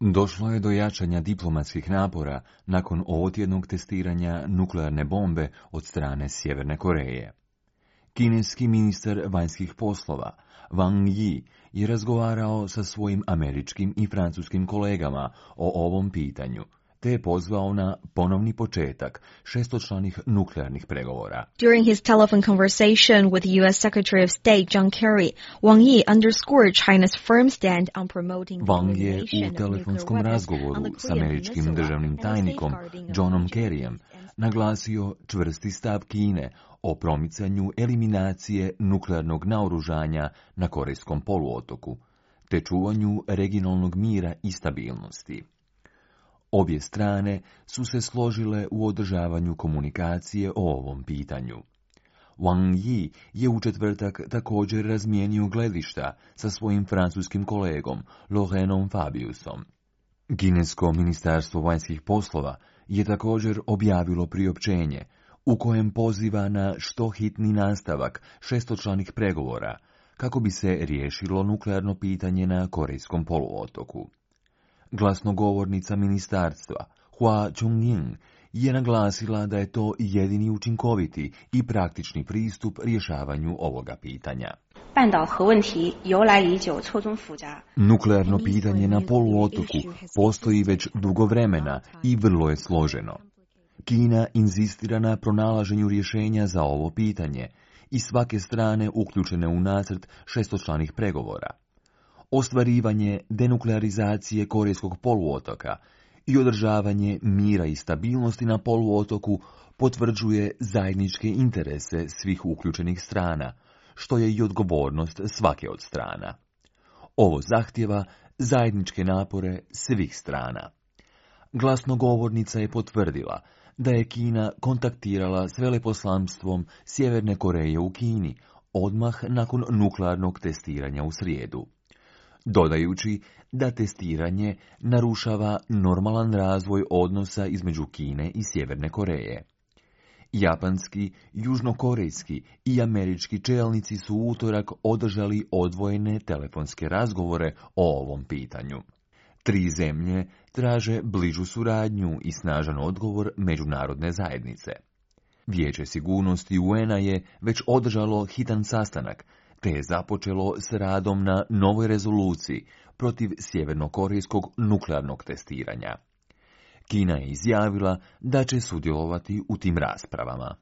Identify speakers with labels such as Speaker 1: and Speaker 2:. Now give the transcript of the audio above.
Speaker 1: Došlo je do jačanja diplomatskih napora nakon ovotjednog testiranja nuklearne bombe od strane Sjeverne Koreje. Kineski ministar vanjskih poslova Wang Yi je razgovarao sa svojim američkim i francuskim kolegama o ovom pitanju, te je pozvao na ponovni početak šestočlanih nuklearnih pregovora.
Speaker 2: During his telephone conversation with U.S. Secretary of State John Kerry, Wang Yi underscored China's firm stand on promoting the
Speaker 1: Wang je
Speaker 2: elimination
Speaker 1: u
Speaker 2: of nuclear
Speaker 1: telefonskom
Speaker 2: weapons
Speaker 1: razgovoru
Speaker 2: on the
Speaker 1: s
Speaker 2: Korean
Speaker 1: američkim
Speaker 2: Peninsula
Speaker 1: državnim
Speaker 2: and the
Speaker 1: tajnikom
Speaker 2: safeguarding of
Speaker 1: Johnom
Speaker 2: regional
Speaker 1: Kerryjem
Speaker 2: peace and
Speaker 1: naglasio čvrsti stav Kine o promicanju eliminacije nuklearnog naoružanja na Korejskom poluotoku, te čuvanju regionalnog mira i stabilnosti. Obje strane su se složile u održavanju komunikacije o ovom pitanju. Wang Yi je u četvrtak također razmijenio gledišta sa svojim francuskim kolegom Laurentom Fabiusom. Kinesko ministarstvo vanjskih poslova je također objavilo priopćenje u kojem poziva na što hitni nastavak šestočlanih pregovora kako bi se riješilo nuklearno pitanje na Korejskom poluotoku. Glasnogovornica ministarstva Hua Chunying je naglasila da je to jedini učinkoviti i praktični pristup rješavanju ovoga pitanja. Nuklearno pitanje na poluotoku postoji već dugo vremena i vrlo je složeno. Kina inzistira na pronalaženju rješenja za ovo pitanje i svake strane uključene u nacrt šestočlanih pregovora. Ostvarivanje denuklearizacije Korejskog poluotoka i održavanje mira i stabilnosti na poluotoku potvrđuje zajedničke interese svih uključenih strana, što je i odgovornost svake od strana. Ovo zahtjeva zajedničke napore svih strana. Glasnogovornica je potvrdila da je Kina kontaktirala s veleposlanstvom Sjeverne Koreje u Kini odmah nakon nuklearnog testiranja u srijedu, dodajući da testiranje narušava normalan razvoj odnosa između Kine i Sjeverne Koreje. Japanski, južnokorejski i američki čelnici su u utorak održali odvojene telefonske razgovore o ovom pitanju. Tri zemlje traže bližu suradnju i snažan odgovor međunarodne zajednice. Vijeće sigurnosti UN-a je već održalo hitan sastanak, te je započelo s radom na novoj rezoluciji protiv sjevernokorejskog nuklearnog testiranja. Kina je izjavila da će sudjelovati u tim raspravama.